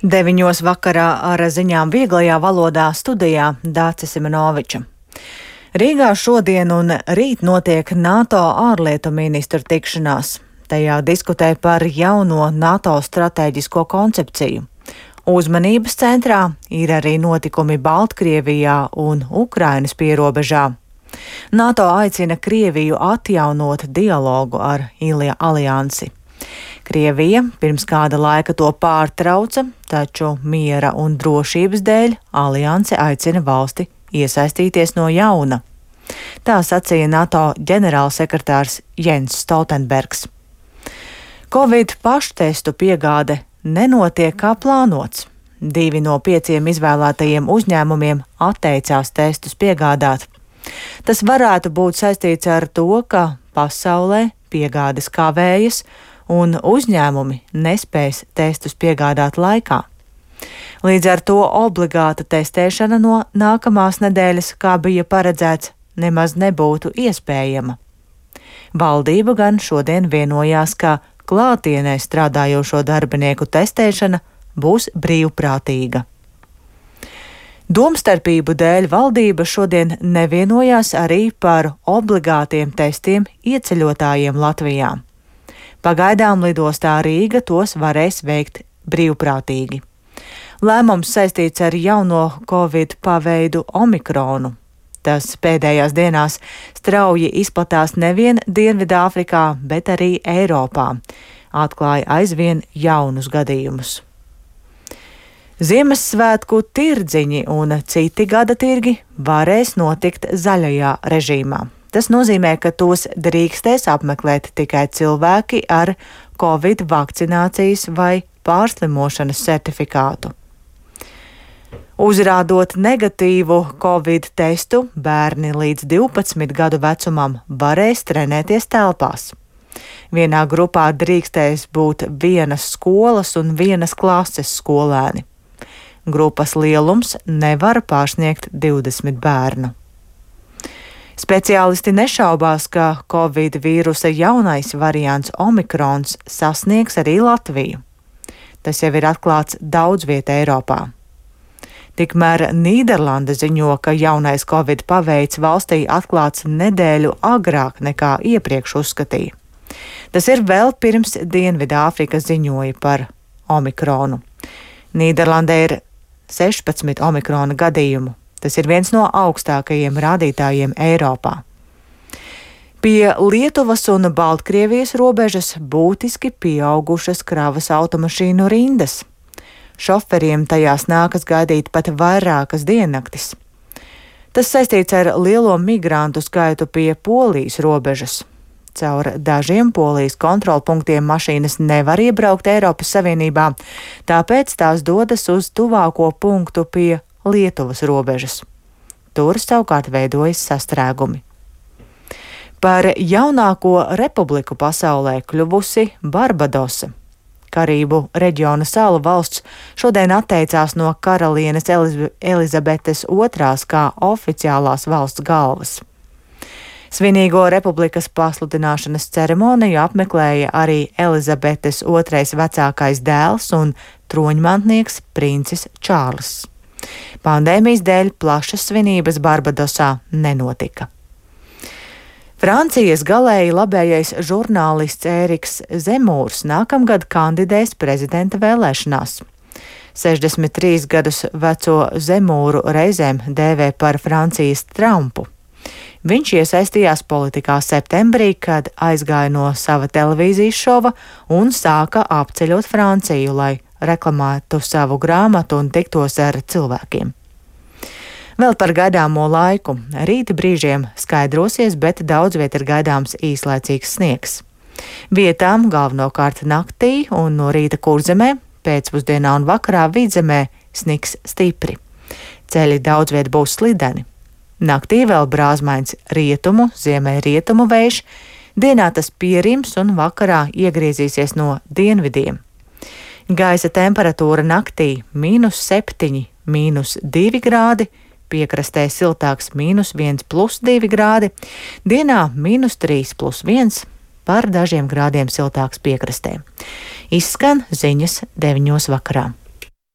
9 vakarā ar ziņām vieglajā valodā studijā Dācis Simenoviča. Rīgā šodien un rīt notiek NATO ārlietu ministru tikšanās. Tajā diskutē par jauno NATO stratēģisko koncepciju. Uzmanības centrā ir arī notikumi Baltkrievijā un Ukrainas pierobežā. NATO aicina Krieviju atjaunot dialogu ar aliansi. Krievija pirms kāda laika to pārtrauca, taču miera un drošības dēļ alianse aicina valsti iesaistīties no jauna. Tā sacīja NATO ģenerālsekretārs Jens Stoltenbergs. Covid paštestu piegāde nenotiek kā plānots. 2 no 5 izvēlētajiem uzņēmumiem atteicās testus piegādāt. Tas varētu būt saistīts ar to, ka pasaulē piegādes kavējas un uzņēmumi nespēs testus piegādāt laikā. Līdz ar to obligāta testēšana no nākamās nedēļas, kā bija paredzēts, nemaz nebūtu iespējama. Valdība gan šodien vienojās, ka klātienē strādājošo darbinieku testēšana būs brīvprātīga. Domstarpību dēļ valdība šodien nevienojās arī par obligātiem testiem ieceļotājiem Latvijā. Pagaidām lidostā Rīga tos varēs veikt brīvprātīgi. Lēmums saistīts ar jauno Covid paveidu Omikronu. Tas pēdējās dienās strauji izplatās nevien Dienvidāfrikā, bet arī Eiropā. Atklāja aizvien jaunus gadījumus. Ziemassvētku tirdziņi un citi gada tirgi varēs notikt zaļajā režīmā. Tas nozīmē, ka tos drīkstēs apmeklēt tikai cilvēki ar Covid vakcinācijas vai pārslimošanas certifikātu. Uzrādot negatīvu Covid testu, bērni līdz 12 gadu vecumam varēs trenēties telpās. Vienā grupā drīkstēs būt 1 skolas un 1 klases skolēni. Grupas lielums nevar pārsniegt 20 bērnu. Speciālisti nešaubās, ka Covid vīrusa jaunais variants Omikrons sasniegs arī Latviju. Tas jau ir atklāts daudz vietā Eiropā. Tikmēr Nīderlande ziņo, ka jaunais Covid paveids valstī atklāts nedēļu agrāk nekā iepriekš uzskatīja. Tas ir vēl pirms Dienvidāfrika ziņoja par Omikronu. Nīderlandē ir 16 Omikrona gadījumu. Tas ir viens no augstākajiem rādītājiem Eiropā. Pie Lietuvas un Baltkrievijas robežas būtiski pieaugušas kravas automašīnu rindas. Šoferiem tajās nākas gaidīt pat vairākas diennaktis. Tas saistīts ar lielo migrantu skaitu pie Polijas robežas. Caur dažiem Polijas kontrolpunktiem mašīnas nevar iebraukt Eiropas Savienībā, tāpēc tās dodas uz tuvāko punktu pie Lietuvas robežas. Tur savukārt veidojas sastrēgumi. Par jaunāko republiku pasaulē kļuvusi Barbadosa. Karību reģiona salu valsts šodien atteicās no karalienes Elizabetes II kā oficiālās valsts galvas. Svinīgo republikas pasludināšanas ceremoniju apmeklēja arī Elizabetes II vecākais dēls un troņmantnieks princis Čārlis. Pandēmijas dēļ plašas svinības Barbadosā nenotika. Francijas galēji labējais žurnālists Ēriks Zemūrs nākamgad kandidēs prezidenta vēlēšanās. 63 gadus veco Zemūru reizēm dēvē par Francijas Trumpu. Viņš iesaistījās politikā septembrī, kad aizgāja no sava televīzijas šova un sāka apceļot Franciju, lai reklamētu savu grāmatu un tiktos ar cilvēkiem. Vēl par gaidāmo laiku. Rīta brīžiem skaidrosies, bet daudz viet ir gaidāms īslaicīgs sniegs. Vietām galvenokārt naktī un no rīta Kurzemē, pēcpusdienā un vakarā Vidzemē sniks stipri. Ceļi daudz viet būs slideni. Naktī vēl brāzmains rietumu, ziemeļrietumu vējš, dienā tas pierims un vakarā iegriezīsies no dienvidiem. Gaisa temperatūra naktī -7, -2 grādi, piekrastē siltāks -1+2 grādi, dienā -3+1, par dažiem grādiem siltāks piekrastē. Izskan ziņas 9 vakarā.